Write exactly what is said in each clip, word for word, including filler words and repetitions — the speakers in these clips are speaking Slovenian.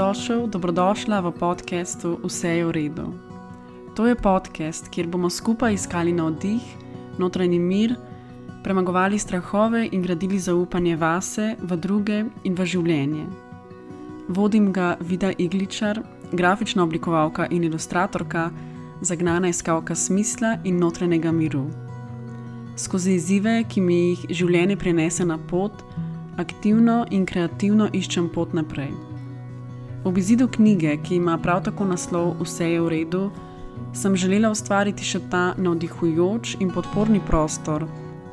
Dobrodošel, dobrodošla v podcastu Vse je v redu. To je podcast, kjer bomo skupaj iskali navdih, notranji mir, premagovali strahove in gradili zaupanje vase, v druge in v življenje. Vodim ga Vida Igličar, grafična oblikovalka in ilustratorka, zagnana iskalka smisla in notranjega miru. Skozi izzive, ki mi jih življenje prinese na pot, aktivno in kreativno iščem pot naprej. Ob izidu knjige, ki ima prav tako naslov Vse je v redu, sem želela ustvariti še ta navdihujoč in podporni prostor,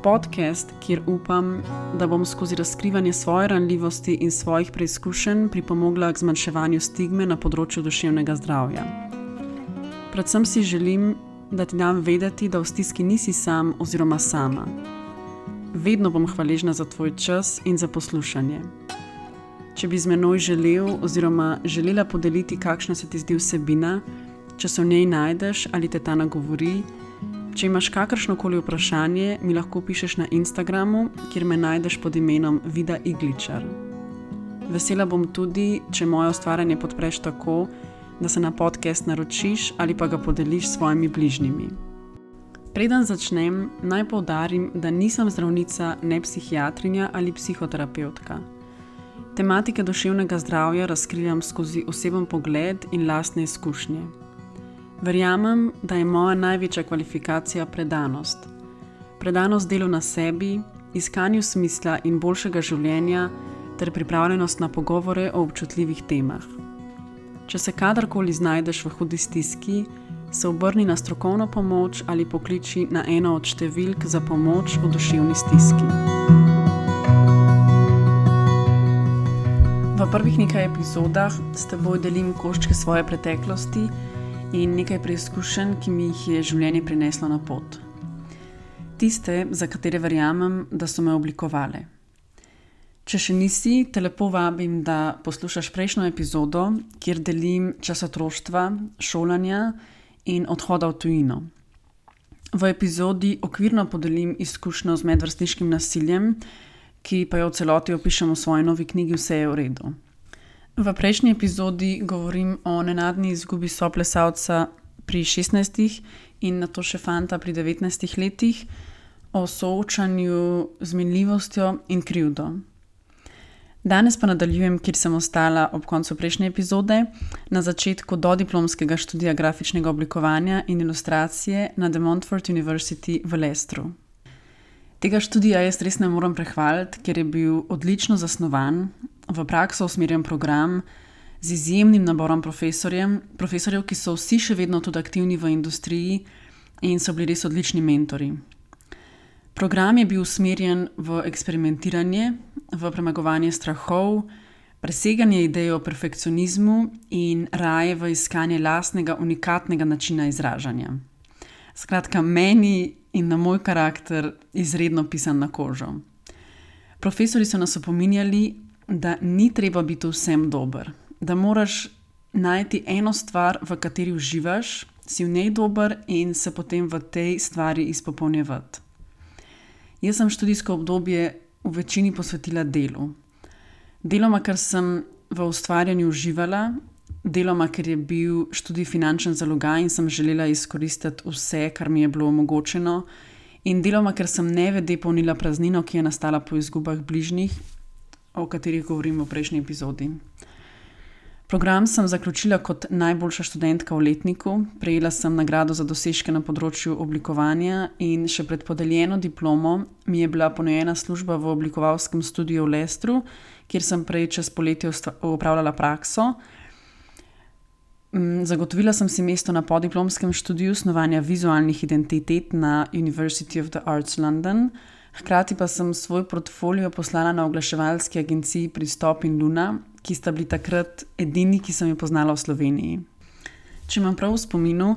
podcast, kjer upam, da bom skozi razkrivanje svoje ranljivosti in svojih preizkušenj pripomogla k zmanjševanju stigme na področju duševnega zdravja. Predvsem si želim, da ti dam vedeti, da v stiski nisi sam oziroma sama. Vedno bom hvaležna za tvoj čas in za poslušanje. Če bi z menoj želel oziroma želela podeliti, kakšna se ti zdi vsebina, če se v njej najdeš ali te ta nagovori, če imaš kakršnokoli vprašanje, mi lahko pišeš na Instagramu, kjer me najdeš pod imenom Vida Igličar. Vesela bom tudi, če moje ustvarjanje podpreš tako, da se na podcast naročiš ali pa ga podeliš s svojimi bližnjimi. Preden začnem, naj poudarim, da nisem zdravnica, ne psihiatrinja ali psihoterapevtka. Tematike duševnega zdravja razkrivam skozi oseben pogled in lastne izkušnje. Verjamem, da je moja največja kvalifikacija predanost. Predanost delu na sebi, iskanju smisla in boljšega življenja ter pripravljenost na pogovore o občutljivih temah. Če se kadarkoli znajdeš v hudi stiski, se obrni na strokovno pomoč ali pokliči na eno od številk za pomoč v duševni stiski. V prvih nekaj epizodah s teboj delim koščke svoje preteklosti in nekaj preizkušenj, ki mi jih je življenje prineslo na pot. Tiste, za katere verjamem, da so me oblikovale. Če še nisi, te lepo vabim, da poslušaš prejšnjo epizodo, kjer delim čas otroštva, šolanja in odhoda v tujino. V epizodi okvirno podelim izkušnjo z medvrstniškim nasiljem, ki pa jo v celoti opišem v svoji novi knjigi Vse je v redu. V prejšnji epizodi govorim o nenadni izgubi soplesalca pri šestnajstih in nato še fanta pri devetnajstih letih, o soočanju z minljivostjo in krivdo. Danes pa nadaljujem, kjer sem ostala ob koncu prejšnje epizode, na začetku dodiplomskega študija grafičnega oblikovanja in ilustracije na De Montfort University v Leicestru. Tega študija jaz res ne moram prehvaliti, ker je bil odlično zasnovan, v prakso usmerjen program, z izjemnim naborom profesorjem, profesorjev, ki so vsi še vedno tudi aktivni v industriji in so bili res odlični mentori. Program je bil usmerjen v eksperimentiranje, v premagovanje strahov, preseganje ideje o perfekcionizmu in raje v iskanje lastnega unikatnega načina izražanja. Skratka, meni in na moj karakter izredno pisan na kožo. Profesori so nas opominjali, da ni treba biti vsem dober, da moraš najti eno stvar, v kateri uživaš, si v njej dober in se potem v tej stvari izpopolnjevati. Jaz sem študijsko obdobje v večini posvetila delu. Deloma, ker sem v ustvarjanju uživala, deloma, ker je bil študij finančen zalogaj in sem želela izkoristiti vse, kar mi je bilo omogočeno, in deloma, ker sem nevede polnila praznino, ki je nastala po izgubah bližnjih, o katerih govorim v prejšnji epizodi. Program sem zaključila kot najboljša študentka v letniku, prejela sem nagrado za dosežke na področju oblikovanja in še pred podeljeno diplomo mi je bila ponujena služba v oblikovalskem studiu v Leicestru, kjer sem prej čez poletje opravljala prakso. Zagotovila sem si mesto na podiplomskem študiju snovanja vizualnih identitet na University of the Arts London, hkrati pa sem svoj portfolio poslala na oglaševalski agenciji Pristop in Luna, ki sta bili takrat edini, ki sem jo poznala v Sloveniji. Če imam prav v spominu,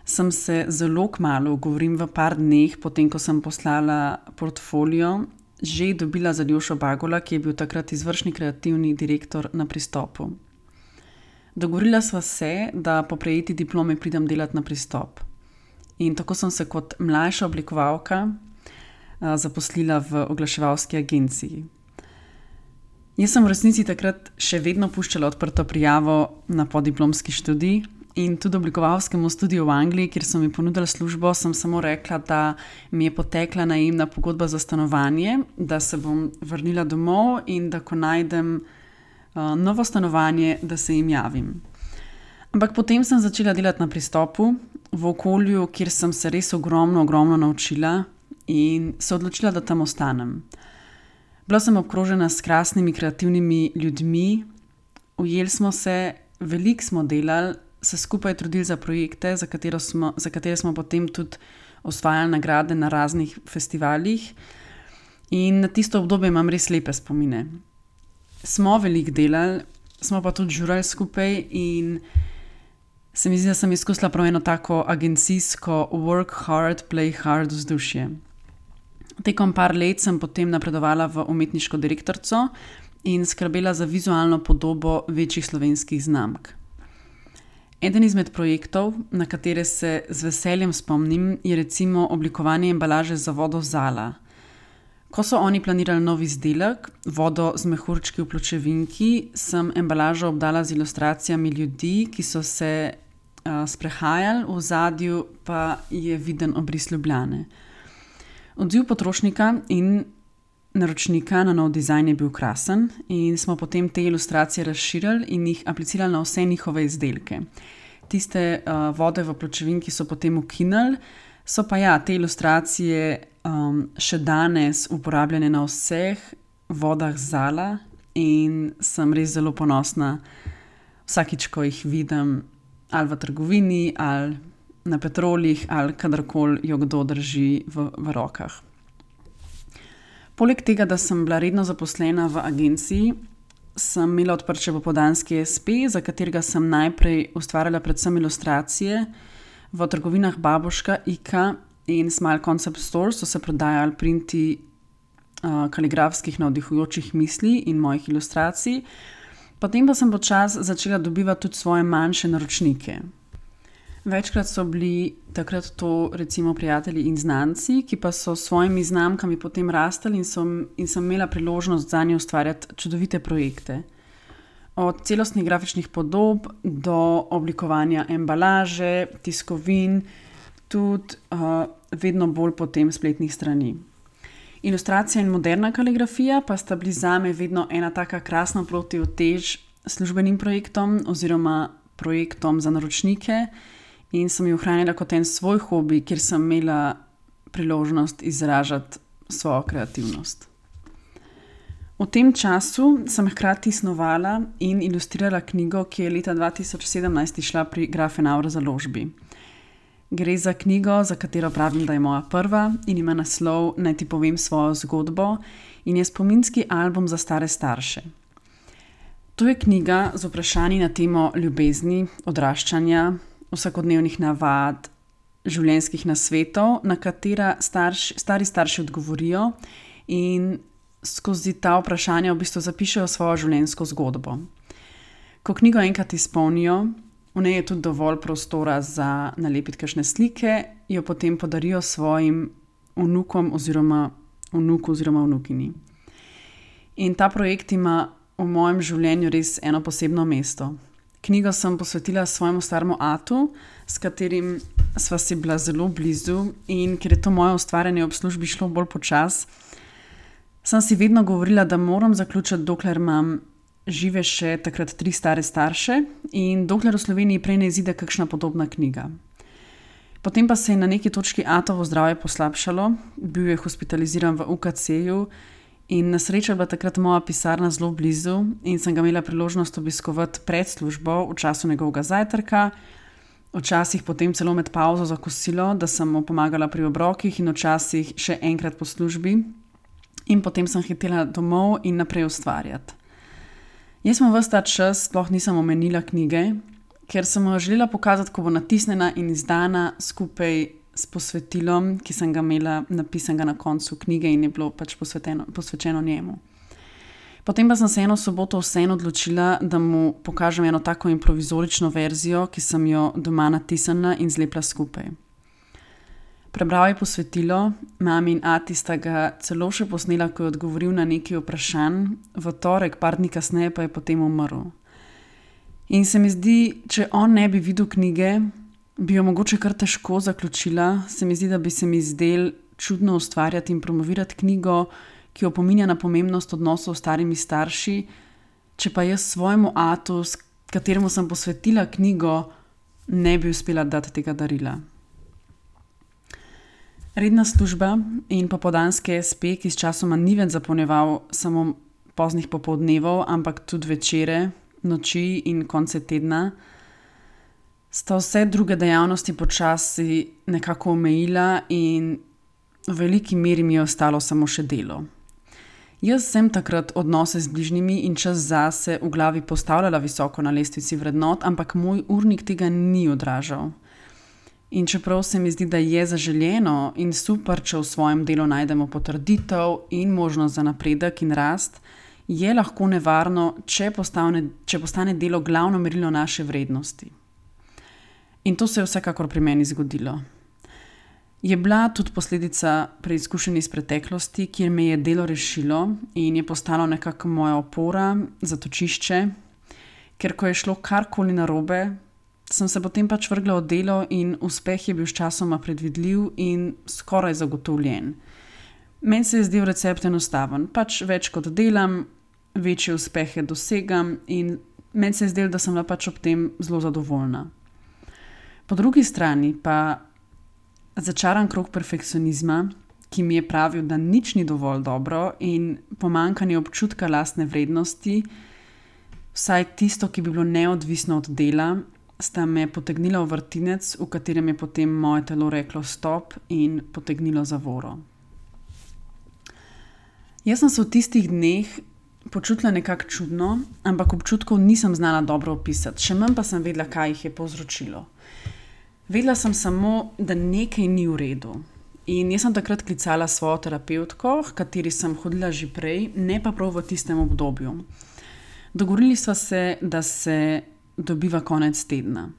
sem se zelo kmalu, govorim v par dneh, potem ko sem poslala portfolio, že dobila za Ljošo Bagola, ki je bil takrat izvršni kreativni direktor na Pristopu. Dogovorila sva se, da po prejeti diplome pridem delati na Pristop. In tako sem se kot mlajša oblikovalka zaposlila v oglaševalski agenciji. Jaz sem v resnici takrat še vedno puščala odprto prijavo na podiplomski študij in tudi oblikovalskemu studiu v Angliji, kjer so mi ponudili službo, sem samo rekla, da mi je potekla najemna pogodba za stanovanje, da se bom vrnila domov in da ko najdem uh, novo stanovanje, da se jim javim. Ampak potem sem začela delati na pristopu v okolju, kjer sem se res ogromno, ogromno naučila in se odločila, da tam ostanem. Bila sem obkrožena s krasnimi, kreativnimi ljudmi, ujeli smo se, veliko smo delali, se skupaj trudili za projekte, za katere smo, za katere smo potem tudi osvajali nagrade na raznih festivalih in na tisto obdobje imam res lepe spomine. Smo veliko delali, smo pa tudi žurali skupaj in se mi zdi, da sem izkusila prav eno tako agencijsko work hard, play hard vzdušje. Tekom par let sem potem napredovala v umetniško direktorico in skrbela za vizualno podobo večjih slovenskih znamk. Eden izmed projektov, na katere se z veseljem spomnim, je recimo oblikovanje embalaže za vodo Zala. Ko so oni planirali nov izdelek, vodo z mehurčki v pločevinki, sem embalažo obdala z ilustracijami ljudi, ki so se uh, sprehajali, v ozadju pa je viden obris Ljubljane. Odziv potrošnika in naročnika na nov dizajn je bil krasen in smo potem te ilustracije razširili in jih aplicirali na vse njihove izdelke. Tiste uh, vode v pločevinki so potem ukinili, so pa ja, te ilustracije um, še danes uporabljene na vseh vodah Zala in sem res zelo ponosna vsakič, ko jih vidim ali v trgovini ali na Petrolih ali kadarkoli jo kdo drži v, v rokah. Poleg tega, da sem bila redno zaposlena v agenciji, sem imela odprt še popoldanski es pe, za katerega sem najprej ustvarjala predvsem ilustracije. V trgovinah Babuška, Ika in Smile Concept Store so se prodajali printi uh, kaligrafskih navdihujočih misli in mojih ilustracij. Potem pa sem počasi začela dobivati tudi svoje manjše naročnike. Večkrat so bili takrat to recimo prijatelji in znanci, ki pa so s svojimi znamkami potem rastali in, so, in sem imela priložnost za nje ustvarjati čudovite projekte. Od celostnih grafičnih podob do oblikovanja embalaže, tiskovin, tudi uh, vedno bolj potem spletnih strani. Ilustracija in moderna kaligrafija pa sta bili zame vedno ena taka krasna protivtež službenim projektom oziroma projektom za naročnike, in sem jo ohranila kot en svoj hobi, kjer sem imela priložnost izražati svojo kreativnost. V tem času sem hkrati snovala in ilustrirala knjigo, ki je leta dva tisoč sedemnajst izšla pri Grafenauer založbi. Gre za knjigo, za katero pravim, da je moja prva in ima naslov Naj ti povem svojo zgodbo in je spominski album za stare starše. To je knjiga z vprašanji na temo ljubezni, odraščanja, vsakodnevnih navad, življenjskih nasvetov, na katera starš, stari starši odgovorijo in skozi ta vprašanja v bistvu zapišejo svojo življenjsko zgodbo. Ko knjigo enkrat izpolnijo, v njej je tudi dovolj prostora za nalepiti kakšne slike, jo potem podarijo svojim vnukom oziroma vnuku oziroma vnukini. In ta projekt ima v mojem življenju res eno posebno mesto. Knjigo sem posvetila svojemu staremu atu, s katerim sva si bila zelo blizu in ker je to moje ustvarjanje ob službi šlo bolj počas, sem si vedno govorila, da moram zaključiti, dokler imam žive še takrat tri stare starše in dokler v Sloveniji prej ne izide kakšna podobna knjiga. Potem pa se je na neki točki atovo zdravje poslabšalo, bil je hospitaliziran v u ka ce-ju in na srečo je bila takrat moja pisarna zelo blizu in sem ga imela priložnost obiskovati pred službo v času njegovega zajtrka, včasih potem celo med pauzo za kosilo, da sem mu pomagala pri obrokih in včasih še enkrat po službi in potem sem hitela domov in naprej ustvarjati. Jaz sem ves ta čas sploh nisem omenila knjige, ker sem jo želela pokazati, ko bo natisnjena in izdana skupaj s posvetilom, ki sem ga imela napisanega na koncu knjige in je bilo pač posvečeno njemu. Potem pa sem se eno soboto vseeno odločila, da mu pokažem eno tako improvizorično verzijo, ki sem jo doma natisnila in zlepila skupaj. Prebral je posvetilo, mami in ati sta ga celo še posnela, ko je odgovoril na nekaj vprašanj, v torek, par dni kasneje pa je potem umrl. In se mi zdi, če on ne bi videl knjige, bi jo mogoče kar težko zaključila. Se mi zdi, da bi se mi zdel čudno ustvarjati in promovirati knjigo, ki opominja na pomembnost odnosov s starimi starši, če pa jaz svojemu atu, s kateremu sem posvetila knjigo, ne bi uspela dati tega darila. Redna služba in popoldanski es pe, ki s časoma ni več zapolnjeval samo poznih popoldnevov, ampak tudi večere, noči in konce tedna, sta vse druge dejavnosti počasi nekako omejila in v veliki meri mi je ostalo samo še delo. Jaz sem takrat odnose z bližnjimi in čas zase v glavi postavljala visoko na lestvici vrednot, ampak moj urnik tega ni odražal. In čeprav se mi zdi, da je zaželjeno in super, če v svojem delu najdemo potrditev in možnost za napredek in rast, je lahko nevarno, če postane, če postane delo glavno merilo naše vrednosti. In to se je vsekakor pri meni zgodilo. Je bila tudi posledica preizkušenj iz preteklosti, kjer me je delo rešilo in je postalo nekako moja opora, zatočišče, ker ko je šlo karkoli narobe, sem se potem pač vrgla v delo in uspeh je bil sčasoma predvidljiv in skoraj zagotovljen. Meni se je zdel recept enostaven, pač več kot delam, večje uspehe dosegam in meni se je zdel, da sem bila pač ob tem zelo zadovoljna. Po drugi strani pa začaran krog perfekcionizma, ki mi je pravil, da nič ni dovolj dobro in pomanjkanje občutka lastne vrednosti, vsaj tisto, ki bi bilo neodvisno od dela, sta me potegnila v vrtinec, v katerem je potem moje telo reklo stop in potegnilo zavoro. Jaz sem se v tistih dneh počutila nekako čudno, ampak občutkov nisem znala dobro opisati, še manj pa sem vedela, kaj jih je povzročilo. Vedela sem samo, da nekaj ni v redu. In jaz sem takrat klicala svojo terapevtko, h kateri sem hodila že prej, ne pa prav v tistem obdobju. Dogovorili sva se, da se dobiva konec tedna.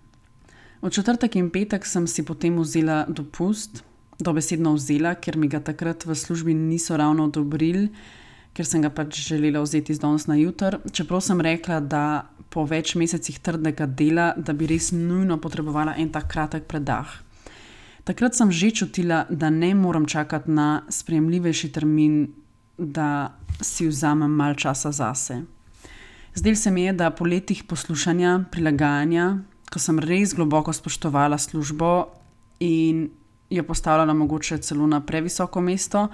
V četrtek in petek sem si potem vzela dopust, dobesedno vzela, ker mi ga takrat v službi niso ravno odobrili, ker sem ga pač želela vzeti z danes na jutr, čeprav sem rekla, da po več mesecih trdega dela, da bi res nujno potrebovala en tak kratek predah. Takrat sem že čutila, da ne moram čakati na sprejemljivejši termin, da si vzamem malo časa zase. Zdelo se mi je, da po letih poslušanja, prilagajanja, ko sem res globoko spoštovala službo in jo postavljala mogoče celo na previsoko mesto,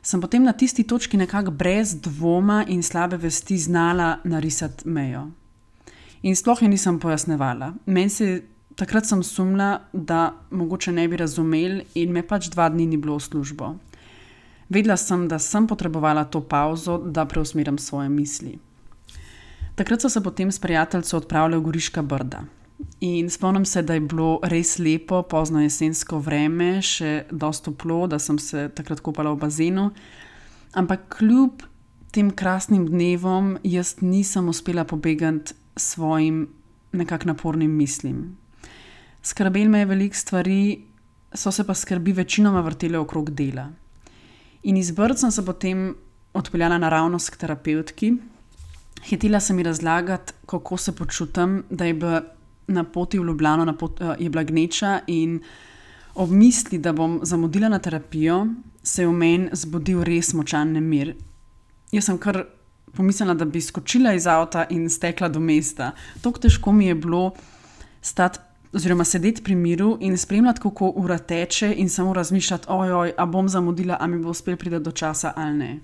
sem potem na tisti točki nekako brez dvoma in slabe vesti znala narisati mejo. In sploh je nisem pojasnevala. Meni se takrat sem sumila, da mogoče ne bi razumeli in me pač dva dni ni bilo v službo. Vedela sem, da sem potrebovala to pauzo, da preusmerim svoje misli. Takrat so se potem s prijateljico odpravljali v Goriška Brda. In spomnim se, da je bilo res lepo, pozno jesensko vreme, še dosti toplo, da sem se takrat kopala v bazenu. Ampak kljub tem krasnim dnevom jaz nisem uspela pobegati svojim nekak napornim mislim. Skrbelo me je veliko stvari, so se pa skrbi večinoma vrtele okrog dela. In iz Brd sem se potem odpeljala naravnost k terapevtki. Hitela sem ji razlagati, kako se počutim, da je bila na poti v Ljubljano, na pot, je bila gneča in ob misli, da bom zamudila na terapijo, se je v meni zbudil res močan nemir. Jaz sem kar pomislila, da bi skočila iz avta in stekla do mesta. Tako težko mi je bilo stati oziroma sedeti pri miru in spremljati, kako ura teče in samo razmišljati, ojoj, a bom zamudila, a mi bo uspel priti do časa ali ne.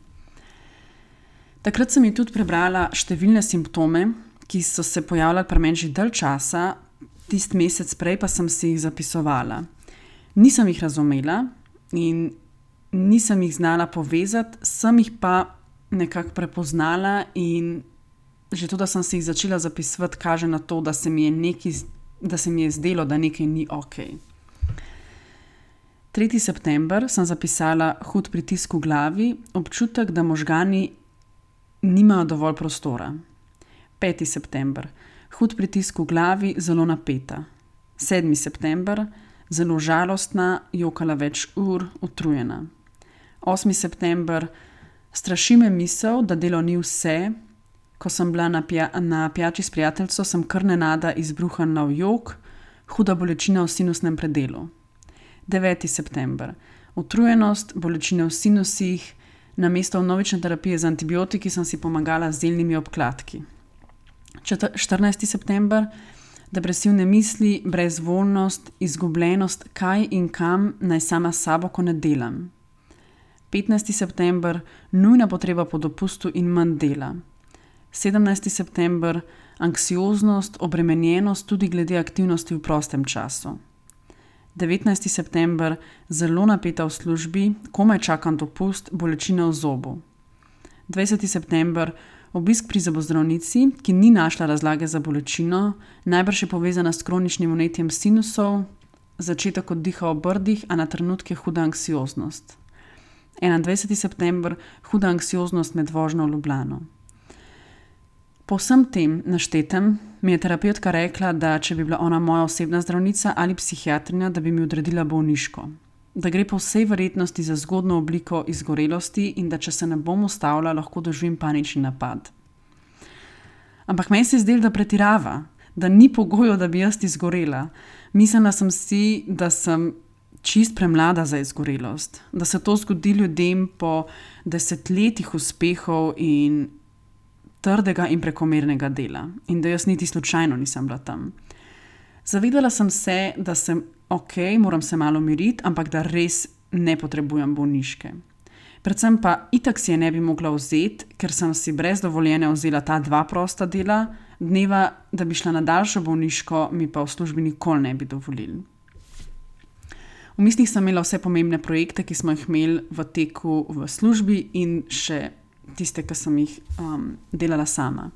Takrat sem ji tudi prebrala številne simptome, ki so se pojavljali pri meni že dalj časa, tisti mesec prej pa sem si jih zapisovala. Nisem jih razumela in nisem jih znala povezati, sem jih pa nekako prepoznala in že to, da sem si jih začela zapisovati, kaže na to, da se mi je, nekaj, da se mi je zdelo, da nekaj ni okej. tretji september sem zapisala hud pritisk v glavi, občutek, da možgani nimajo dovolj prostora. peti september, hud pritisk v glavi, zelo napeta. sedmi september, zelo žalostna, jokala več ur, utrujena. osmi september, straši me misel, da delo ni vse. Ko sem bila na, pja, na pijači s prijateljco, sem kar nenada izbruhnila v jok, huda bolečina v sinusnem predelu. deveti september, utrujenost, bolečine v sinusih, namesto vnovične terapije z antibiotiki sem si pomagala z zeljnimi obkladki. štirinajsti september, depresivne misli, brezvoljnost, izgubljenost, kaj in kam naj sama s sabo, ko ne delam. petnajsti september, nujna potreba po dopustu in manj dela. sedemnajsti september, anksioznost, obremenjenost tudi glede aktivnosti v prostem času. devetnajsti september, zelo napeta v službi, komaj čakam dopust, bolečine v zobu. dvajseti september, obisk pri zobozdravnici, ki ni našla razlage za bolečino, najbrž je povezana s kroničnim vnetjem sinusov, začetek oddiha v brdih, a na trenutke huda anksioznost. enaindvajseti september, huda anksioznost med vožnjo v Ljubljano. Po vsem tem naštetem mi je terapevtka rekla, da če bi bila ona moja osebna zdravnica ali psihiatrinja, da bi mi odredila bolniško. Da gre po vsej verjetnosti za zgodno obliko izgorelosti in da če se ne bom ustavila, lahko doživim panični napad. Ampak meni se je zdelo, da pretirava, da ni pogojev, da bi jaz izgorela. Mislila sem si, da sem čist premlada za izgorelost, da se to zgodi ljudem po desetletjih uspehov in trdega in prekomernega dela in da jaz niti slučajno nisem bila tam. Zavedala sem se, da sem ok, moram se malo miriti, ampak da res ne potrebujem bolniške. Predvsem pa itak si je ne bi mogla vzeti, ker sem si brez dovoljenja vzela ta dva prosta dela, dneva, da bi šla na daljšo bolniško, mi pa v službi nikoli ne bi dovolili. V mislih sem imela vse pomembne projekte, ki smo jih imeli v teku v službi in še tiste, ki sem jih um, delala sama.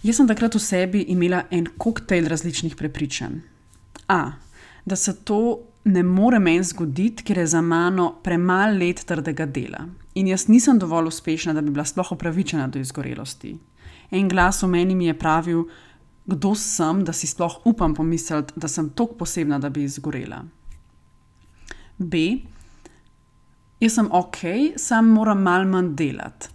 Jaz sem takrat v sebi imela en koktejl različnih prepričanj. A, da se to ne more meni zgoditi, ker je za mano premalo let trdega dela. In jaz nisem dovolj uspešna, da bi bila sploh upravičena do izgorelosti. En glas v meni mi je pravil, kdo sem, da si sploh upam pomisliti, da sem toliko posebna, da bi izgorela. B, jaz sem ok, sam moram malo manj delati.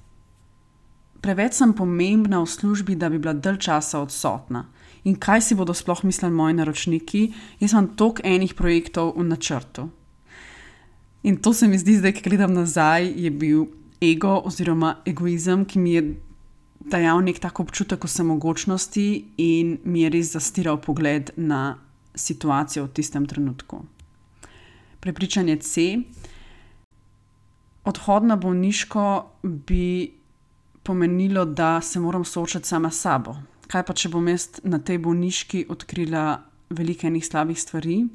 Preveč sem pomembna v službi, da bi bila dalj časa odsotna. In kaj si bodo sploh mislili moji naročniki? Jaz imam toliko enih projektov v načrtu. In to se mi zdi, zdaj, ki gledam nazaj, je bil ego oziroma egoizem, ki mi je dajal nek tak občutek vsemogočnosti in mi je res zastiral pogled na situacijo v tistem trenutku. Prepričanje C. Odhod na bolniško bi pomenilo, da se moram soočati sama s sabo. Kaj pa, če bom jaz na tej bolniški odkrila veliko enih slabih stvari?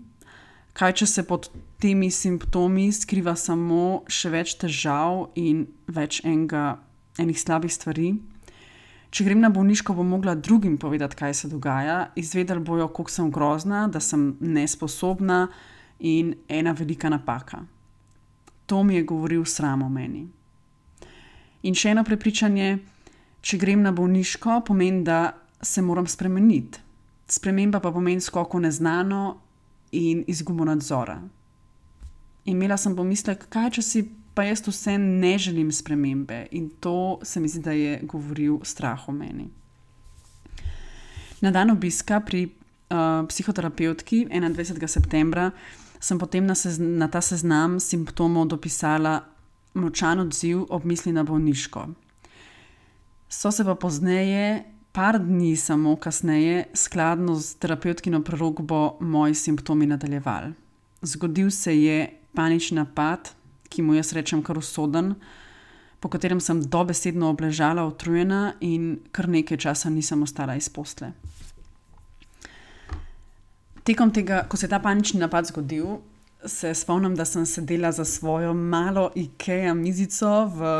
Kaj, če se pod temi simptomi skriva samo še več težav in več enega, enih slabih stvari? Če grem na bolniško, bom mogla drugim povedati, kaj se dogaja, izvedeli bojo, koliko sem grozna, da sem nesposobna in ena velika napaka. To mi je govoril sram o meni. In še eno prepričanje, če grem na bolniško, pomeni, da se moram spremeniti. Sprememba pa pomeni skok v neznano in izgubo nadzora. Imela sem pomislek, kaj če si pa jaz vse ne želim spremembe, in to se mi zdi, da je govoril strah o meni. Na dan obiska pri uh, psihoterapevtki enaindvajsetega septembra sem potem na, sez, na ta seznam simptomov dopisala močan odziv ob misli na bolniško. So se pa pozneje, par dni samo kasneje, skladno z terapevtkino prerokbo, moji simptomi nadaljevali. Zgodil se je panični napad, ki mu jaz rečem kar usoden, po katerem sem dobesedno obležala, utrujena in kar nekaj časa nisem ostala iz posle. Tekom tega, ko se je ta panični napad zgodil, se spomnim, da sem sedela za svojo malo Ikea mizico v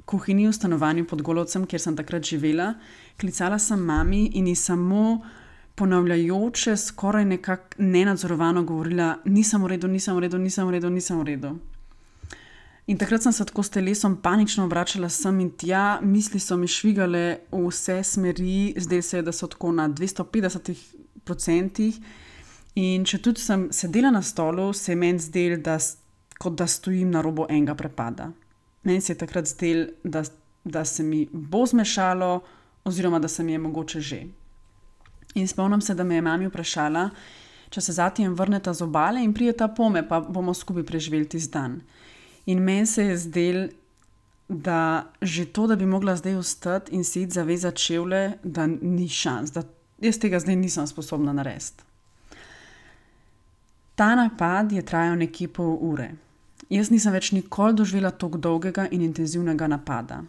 kuhinji v stanovanju pod Golovcem, kjer sem takrat živela. Klicala sem mami in ji samo ponavljajoče, skoraj nekako nenadzorovano govorila, nisem v redu, nisem v redu, nisem v redu, nisem v redu. In takrat sem se tako s telesom panično obračala sem in tja, misli so mi švigale v vse smeri, zdaj se je, da so tako na dvesto petdeset procentih In če tudi sem sedela na stolu, se je meni zdelo, da, kot da stojim na robu enega prepada. Meni se je takrat zdelo, da, da se mi bo zmešalo, oziroma da se mi je mogoče že. In spomnim se, da me je mami vprašala, če se zatijem vrneta z obale in prijeta pome, pa bomo skupaj preživeli tisti dan. In meni se je zdelo, da že to, da bi mogla zdaj vstati in si iti zavezati čevlje, da ni šans, da jaz tega zdaj nisem sposobna narediti. Ta napad je trajal nekje pol ure. Jaz nisem več nikoli doživela tako dolgega in intenzivnega napada.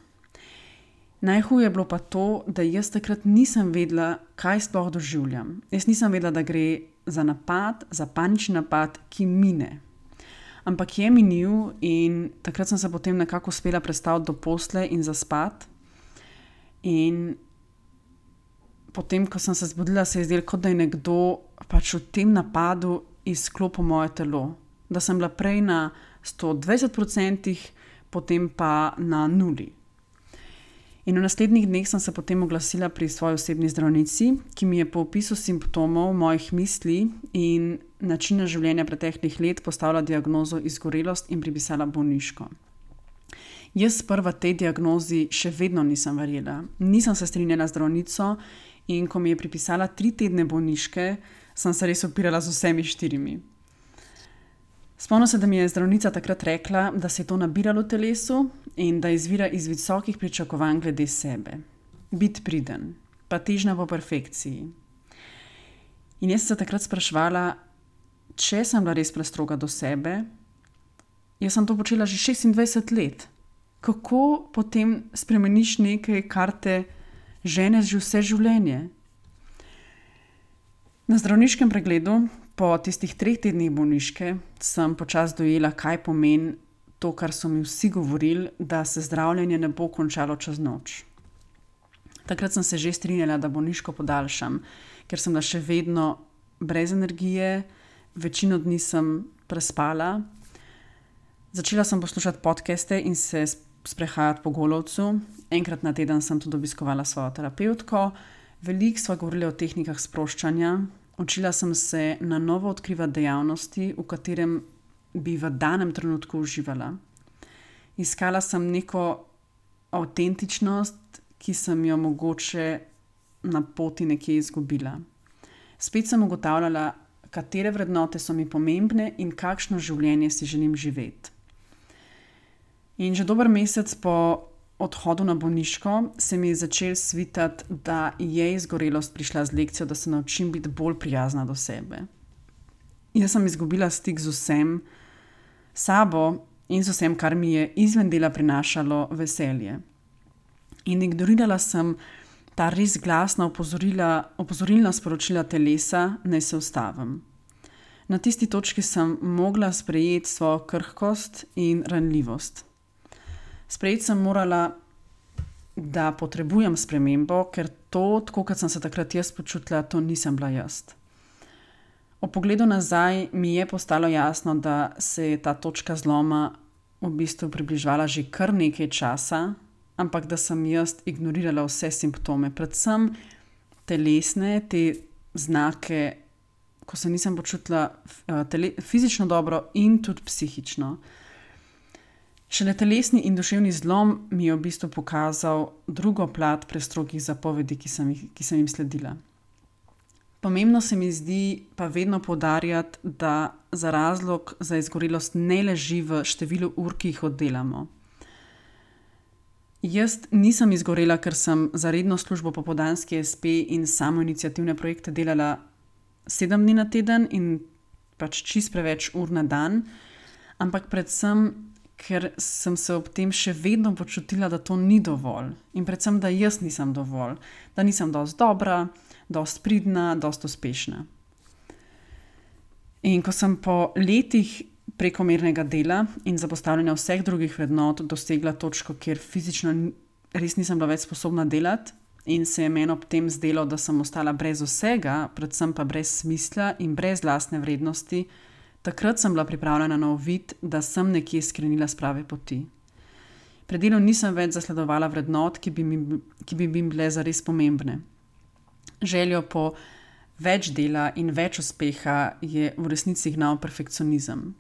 Najhuje je bilo pa to, da jaz takrat nisem vedela, kaj sploh doživljam. Jaz nisem vedela, da gre za napad, za panični napad, ki mine. Ampak je minil in takrat sem se potem nekako uspela prestaviti do posle in zaspati. In potem, ko sem se zbudila, se je zdelo, kot da je nekdo pač v tem napadu izklopil moje telo. Da sem bila prej na sto dvajset procentov, potem pa na nuli. In v naslednjih dneh sem se potem oglasila pri svoji osebni zdravnici, ki mi je po opisu simptomov mojih misli in načina življenja preteklih let postavila diagnozo izgorelost in pripisala bolniško. Jaz sprva tej diagnozi še vedno nisem verjela. Nisem se strinjala z zdravnico in ko mi je pripisala tri tedne bolniške, sem se res upirala z vsemi štirimi. Spomnim se, da mi je zdravnica takrat rekla, da se je to nabiralo v telesu in da izvira iz visokih pričakovanj glede sebe. Biti priden, pa težnja po perfekciji. In jaz sem se takrat spraševala, če sem bila res prestroga do sebe. Jaz sem to počela že šestindvajset let. Kako potem spremeniš nekaj, kar te žene že vse življenje? Na zdravniškem pregledu, po tistih treh tednih bolniške, sem počasi dojela, kaj pomeni to, kar so mi vsi govorili, da se zdravljenje ne bo končalo čez noč. Takrat sem se že strinjala, da bolniško podaljšam, ker sem bila še vedno brez energije, večino dni sem prespala. Začela sem poslušati podcaste in se sprehajati po Golovcu. Enkrat na teden sem tudi obiskovala svojo terapevtko. Veliko sva govorila o tehnikah sproščanja. Učila sem se na novo odkrivati dejavnosti, v katerem bi v danem trenutku uživala. Iskala sem neko avtentičnost, ki sem jo mogoče na poti nekje izgubila. Spet sem ugotavljala, katere vrednote so mi pomembne in kakšno življenje si želim živeti. In že dober mesec po odhodu na bolniško se mi je začel svitati, da je izgorelost prišla z lekcijo, da se naučim biti bolj prijazna do sebe. Jaz sem izgubila stik z vsem, sabo in z vsem, kar mi je izven dela prinašalo veselje. In ignorirala sem ta res glasna opozorila, opozorilna sporočila telesa, naj se ustavim. Na tisti točki sem mogla sprejeti svojo krhkost in ranljivost. Sprejeti sem morala, da potrebujem spremembo, ker to, tako kot sem se takrat jaz počutila, to nisem bila jaz. O pogledu nazaj mi je postalo jasno, da se je ta točka zloma v bistvu približevala že kar nekaj časa, ampak da sem jaz ignorirala vse simptome, predvsem telesne, te znake, ko se nisem počutila tele, fizično dobro in tudi psihično. Šele telesni in duševni zlom mi je v bistvu pokazal drugo plat prestrogih zapovedi, ki sem, jih, ki sem jim sledila. Pomembno se mi zdi pa vedno poudarjati, da za razlog za izgorelost ne leži v številu ur, ki jih oddelamo. Jaz nisem izgorela, ker sem za redno službo popoldanski es pe in samoiniciativne projekte delala sedem dni na teden in pač čist preveč ur na dan, ampak predvsem ker sem se ob tem še vedno počutila, da to ni dovolj in predvsem, da jaz nisem dovolj, da nisem dosti dobra, dosti pridna, dosti uspešna. In ko sem po letih prekomernega dela in zapostavljanja vseh drugih vrednot dosegla točko, kjer fizično res nisem bila več sposobna delati in se je meni ob tem zdelo, da sem ostala brez vsega, predvsem pa brez smisla in brez lastne vrednosti, takrat sem bila pripravljena na uvid, da sem nekje skrenila s prave poti. Pri delu nisem več zasledovala vrednot, ki bi mi, ki bi mi bile zares pomembne. Željo po več dela in več uspeha je v resnici gnal perfekcionizem.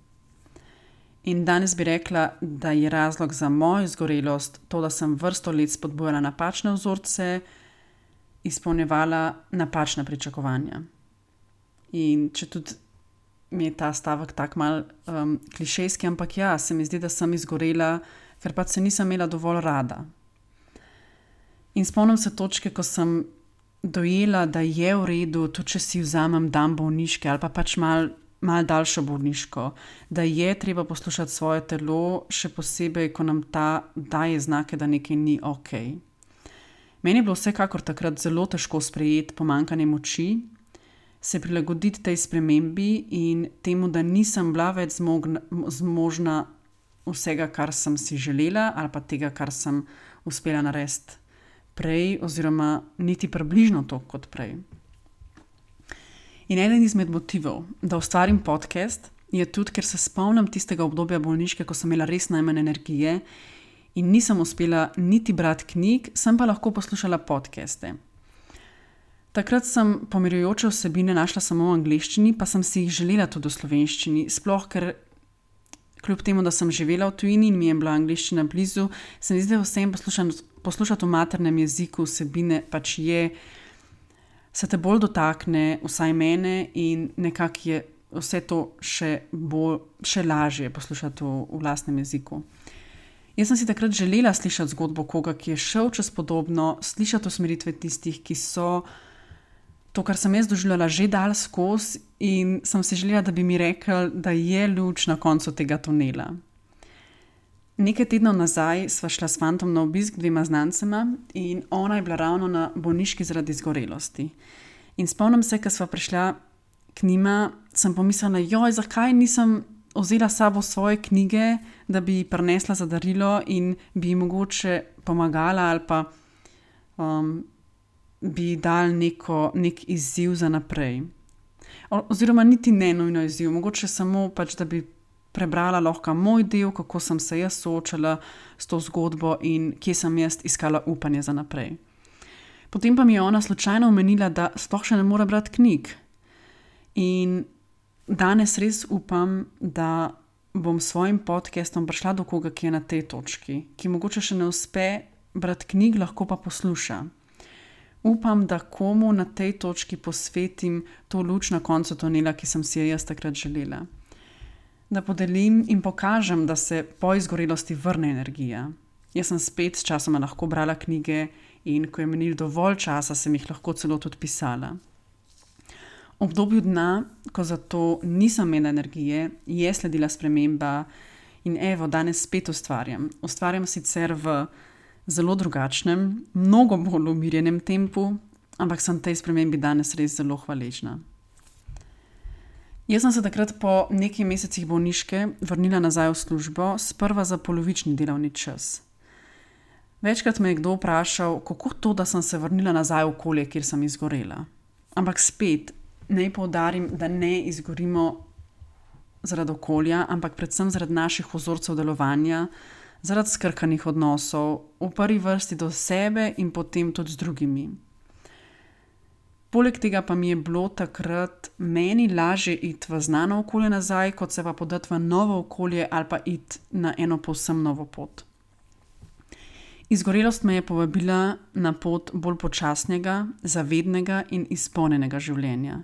In danes bi rekla, da je razlog za mojo izgorelost to, da sem vrsto let spodbujala napačne vzorce, izpolnjevala napačna pričakovanja. In če tudi mi je ta stavek tak mal um, klišejski, ampak ja, se mi zdi, da sem izgorela, ker pač se nisem imela dovolj rada. In spomnim se točke, ko sem dojela, da je v redu, tudi če si vzamem dan bolniške ali pa pač mal, mal daljšo bolniško, da je treba poslušati svoje telo, še posebej, ko nam ta daje znake, da nekaj ni ok. Meni je bilo vsekakor takrat zelo težko sprejeti pomanjkanje moči, se prilagoditi tej spremembi in temu, da nisem bila več zmogna, zmožna vsega, kar sem si želela ali pa tega, kar sem uspela narediti prej oziroma niti približno to kot prej. In eden izmed motivov, da ustvarim podcast, je tudi, ker se spomnim tistega obdobja bolniške, ko sem imela res najmanj energije in nisem uspela niti brati knjig, sem pa lahko poslušala podcaste. Takrat sem pomirjujoče vsebine našla samo v angleščini, pa sem si jih želela tudi v slovenščini, sploh ker kljub temu, da sem živela v tujini in mi je bila angleščina blizu, se mi zdi, da vsem poslušati, poslušati v maternem jeziku vsebine pač je, se te bolj dotakne, vsaj mene, in nekako je vse to še, bolj, še lažje poslušati v, v lastnem jeziku. Jaz sem si takrat želela slišati zgodbo koga, ki je šel čez podobno, slišati usmeritve tistih, ki so to, kar sem jaz doživljala, že dal skozi, in sem si želela, da bi mi rekli, da je luč na koncu tega tunela. Nekaj tednov nazaj sva šla s fantom na obisk dvema znancema in ona je bila ravno na bolniški zaradi izgorelosti. In spomnim se, ko sva prišla k njima, sem pomislila, joj, zakaj nisem vzela s sabo svoje knjige, da bi prinesla za darilo in bi mogoče pomagala ali pa um, bi dal neko, nek izziv za naprej. O, oziroma niti ne nujno izziv, mogoče samo pač, da bi prebrala lahko moj del, kako sem se jaz soočala s to zgodbo in kje sem jaz iskala upanje za naprej. Potem pa mi je ona slučajno omenila, da sploh še ne mora brati knjig. In danes res upam, da bom s svojim podcastom prišla do koga, ki je na tej točki, ki mogoče še ne uspe brati knjig, lahko pa posluša. Upam, da komu na tej točki posvetim to luč na koncu tunela, ki sem si jo jaz takrat želela. Da podelim in pokažem, da se po izgorelosti vrne energija. Jaz sem spet s časoma lahko brala knjige in ko je menil dovolj časa, sem jih lahko celo tudi pisala. V obdobju dna, ko za to nisem imela energije, je sledila sprememba in evo, danes spet ustvarjam. Ustvarjam sicer v zelo drugačnem, mnogo bolj umirjenem tempu, ampak sem tej spremembi danes res zelo hvaležna. Jaz sem se takrat po nekaj mesecih bolniške vrnila nazaj v službo, sprva za polovični delovni čas. Večkrat me je kdo vprašal, kako to, da sem se vrnila nazaj v okolje, kjer sem izgorela. Ampak spet, naj poudarim, da ne izgorimo zaradi okolja, ampak predvsem zaradi naših vzorcev delovanja, zaradi skrkanih odnosov, v prvi vrsti do sebe in potem tudi z drugimi. Poleg tega pa mi je bilo takrat meni lažje iti v znano okolje nazaj, kot se pa podati v novo okolje ali pa iti na eno povsem novo pot. Izgorelost me je povabila na pot bolj počasnega, zavednega in izpolnjenega življenja.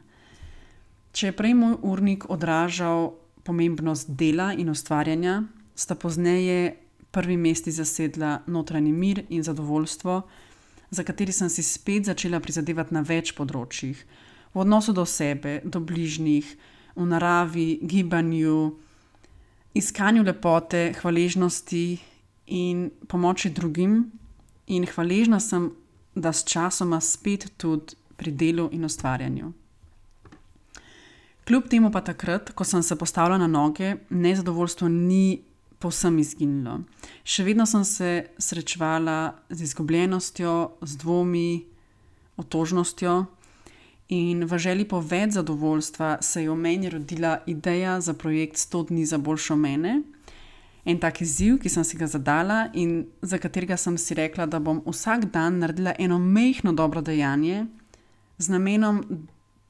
Če je prej moj urnik odražal pomembnost dela in ustvarjanja, sta pozneje prvi mesti zasedla notranji mir in zadovoljstvo, za kateri sem si spet začela prizadevati na več področjih, v odnosu do sebe, do bližnjih, v naravi, gibanju, iskanju lepote, hvaležnosti in pomoči drugim, in hvaležna sem, da s časoma spet tudi pri delu in ustvarjanju. Kljub temu pa takrat, ko sem se postavila na noge, nezadovoljstvo ni povsem izginilo. Še vedno sem se srečevala z izgubljenostjo, z dvomi, otožnostjo in v želji po več zadovoljstva se je v meni rodila ideja za projekt sto dni za boljšo mene. En tak izziv, ki sem si ga zadala in za katerega sem si rekla, da bom vsak dan naredila eno majhno dobro dejanje z namenom,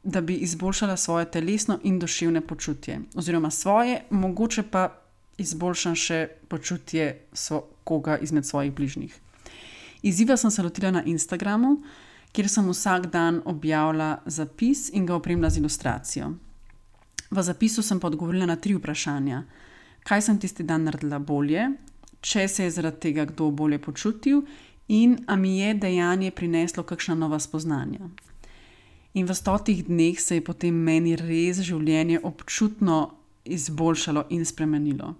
da bi izboljšala svoje telesno in duševno počutje. Oziroma svoje, mogoče pa izboljšam še počutje so, koga izmed svojih bližnjih. Izziva sem se lotila na Instagramu, kjer sem vsak dan objavila zapis in ga opremila z ilustracijo. V zapisu sem pa odgovorila na tri vprašanja. Kaj sem tisti dan naredila bolje, če se je zaradi tega kdo bolje počutil in a mi je dejanje prineslo kakšna nova spoznanja. In v stotih dneh se je potem meni res življenje občutno izboljšalo in spremenilo.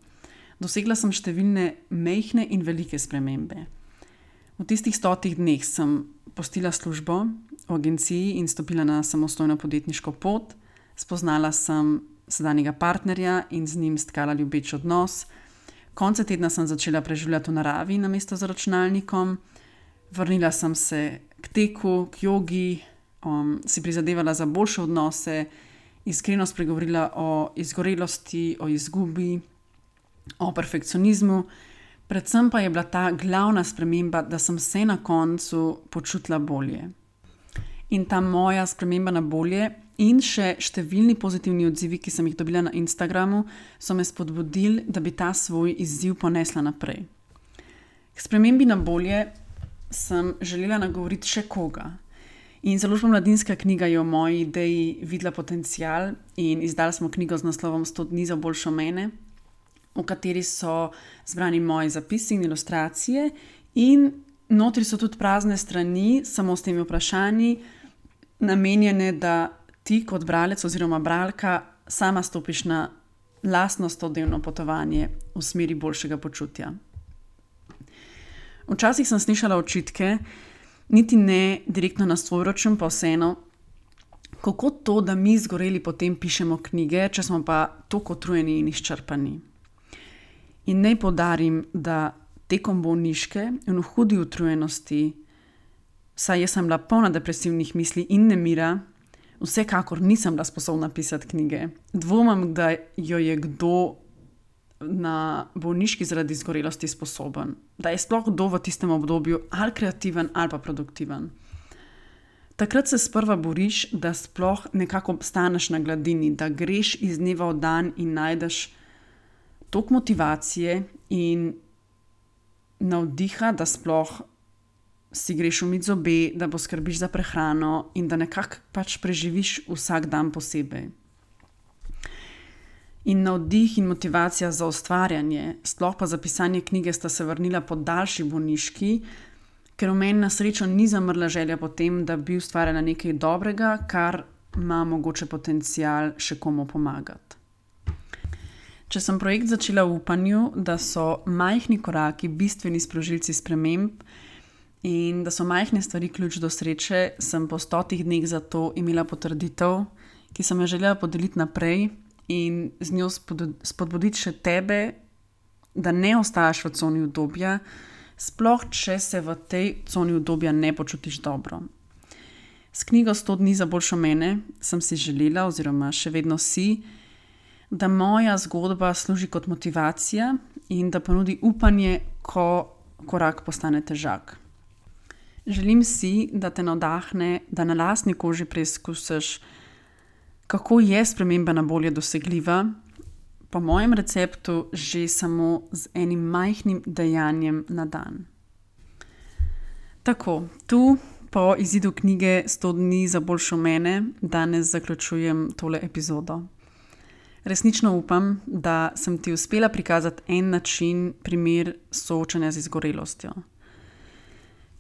Dosegla sem številne majhne in velike spremembe. V tistih stotih dneh sem postila službo v agenciji in stopila na samostojno podjetniško pot, spoznala sem sedanjega partnerja in z njim stkala ljubeč odnos. Konce tedna sem začela preživljati v naravi namesto za računalnikom, vrnila sem se k teku, k jogi, um, si prizadevala za boljše odnose, iskreno spregovorila o izgorelosti, o izgubi, o perfekcionizmu. Predvsem pa je bila ta glavna sprememba, da sem se na koncu počutila bolje. In ta moja sprememba na bolje in še številni pozitivni odzivi, ki sem jih dobila na Instagramu, so me spodbudili, da bi ta svoj izziv ponesla naprej. K spremembi na bolje sem želela nagovoriti še koga. In založba Mladinska knjiga je v moji ideji videla potencial in izdali smo knjigo z naslovom sto dni za boljšo mene, v kateri so zbrani moji zapisi in ilustracije in notri so tudi prazne strani, samo s temi vprašanji, namenjene, da ti kot bralec oziroma bralka sama stopiš na lastno stodnevno potovanje v smeri boljšega počutja. Včasih sem slišala očitke, niti ne direktno na svoj račun, pa vseeno, kako to, da mi zgoreli potem pišemo knjige, če smo pa toliko utrujeni in izčrpani. In naj poudarim, da tekom bolniške in v hudi utrujenosti, saj jaz sem bila polna depresivnih misli in nemira, vsekakor nisem bila sposobna pisati knjige. Dvomim, da jo je kdo na bolniški zaradi izgorelosti sposoben. Da je sploh kdo v tistem obdobju ali kreativen ali pa produktiven. Takrat se sprva boriš, da sploh nekako staneš na gladini, da greš iz dneva v dan in najdeš toliko motivacije in navdiha, da sploh si greš umit zobe, da poskrbiš za prehrano in da nekako pač preživiš vsak dan posebej. In navdih in motivacija za ustvarjanje, sploh pa za pisanje knjige sta se vrnila po daljši bolniški, ker v meni na srečo ni zamrla želja po tem, da bi ustvarjala nekaj dobrega, kar ima mogoče potencial še komu pomagati. Če sem projekt začela v upanju, da so majhni koraki bistveni sprožilci sprememb in da so majhne stvari ključ do sreče, sem po stotih dneh zato imela potrditev, ki sem jo želela podeliti naprej in z njo spodbuditi še tebe, da ne ostajaš v coni udobja, sploh če se v tej coni udobja ne počutiš dobro. S knjigo sto dni za boljšo mene sem si želela oziroma še vedno si, da moja zgodba služi kot motivacija in da ponudi upanje, ko korak postane težak. Želim si, da te navdahne, da na lastni koži preizkusiš, kako je sprememba na bolje dosegljiva, po mojem receptu že samo z enim majhnim dejanjem na dan. Tako, tu po izidu knjige sto dni za boljšo mene danes zaključujem tole epizodo. Resnično upam, da sem ti uspela prikazati en način, primer soočanja z izgorelostjo.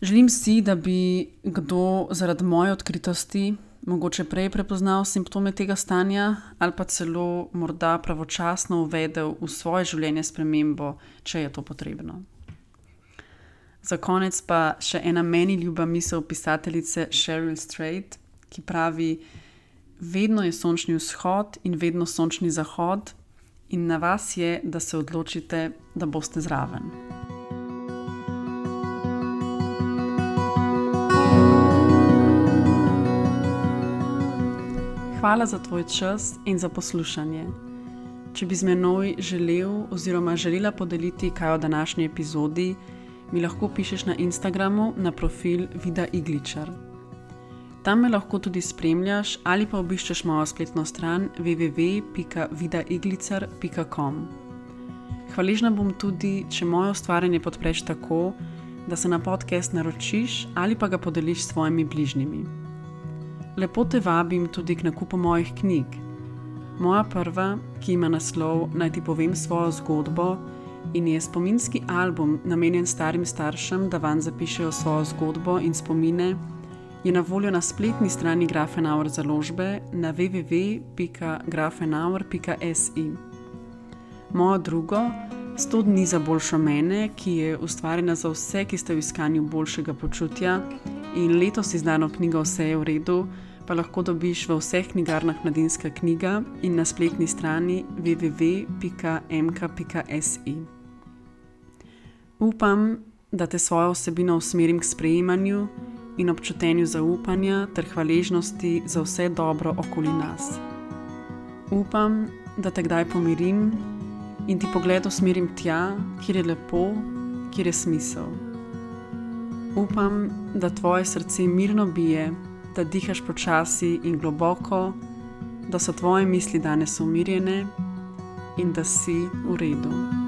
Želim si, da bi kdo zaradi moje odkritosti mogoče prej prepoznal simptome tega stanja ali pa celo morda pravočasno uvedel v svoje življenje spremembo, če je to potrebno. Za konec pa še ena meni ljuba misel pisateljice Cheryl Strayed, ki pravi: vedno je sončni vzhod in vedno sončni zahod in na vas je, da se odločite, da boste zraven. Hvala za tvoj čas in za poslušanje. Če bi z menoj želel oziroma želela podeliti kaj o današnji epizodi, mi lahko pišeš na Instagramu na profil Vida Igličar. Tam me lahko tudi spremljaš ali pa obiščeš mojo spletno stran w w w pika vida iglicar pika com. Hvaležna bom tudi, če moje ustvarjanje podpreš tako, da se na podcast naročiš ali pa ga podeliš s svojimi bližnjimi. Lepo te vabim tudi k nakupu mojih knjig. Moja prva, ki ima naslov Naj ti povem svojo zgodbo in je spominski album namenjen starim staršem, da vanj zapišejo svojo zgodbo in spomine, je na voljo na spletni strani Grafenauer založbe na w w w pika grafenauer pika s i. Mojo drugo, sto dni za boljšo mene, ki je ustvarjena za vse, ki ste v iskanju boljšega počutja, in letos izdano knjigo Vse je v redu, pa lahko dobiš v vseh knjigarnah Mladinska knjiga in na spletni strani w w w pika m k pika s i. Upam, da te svojo vsebino usmerim k sprejemanju in občutenju zaupanja ter hvaležnosti za vse dobro okoli nas. Upam, da te kdaj pomirim in ti pogled usmerim tja, kjer je lepo, kjer je smisel. Upam, da tvoje srce mirno bije, da dihaš počasi in globoko, da so tvoje misli danes umirjene in da si v redu.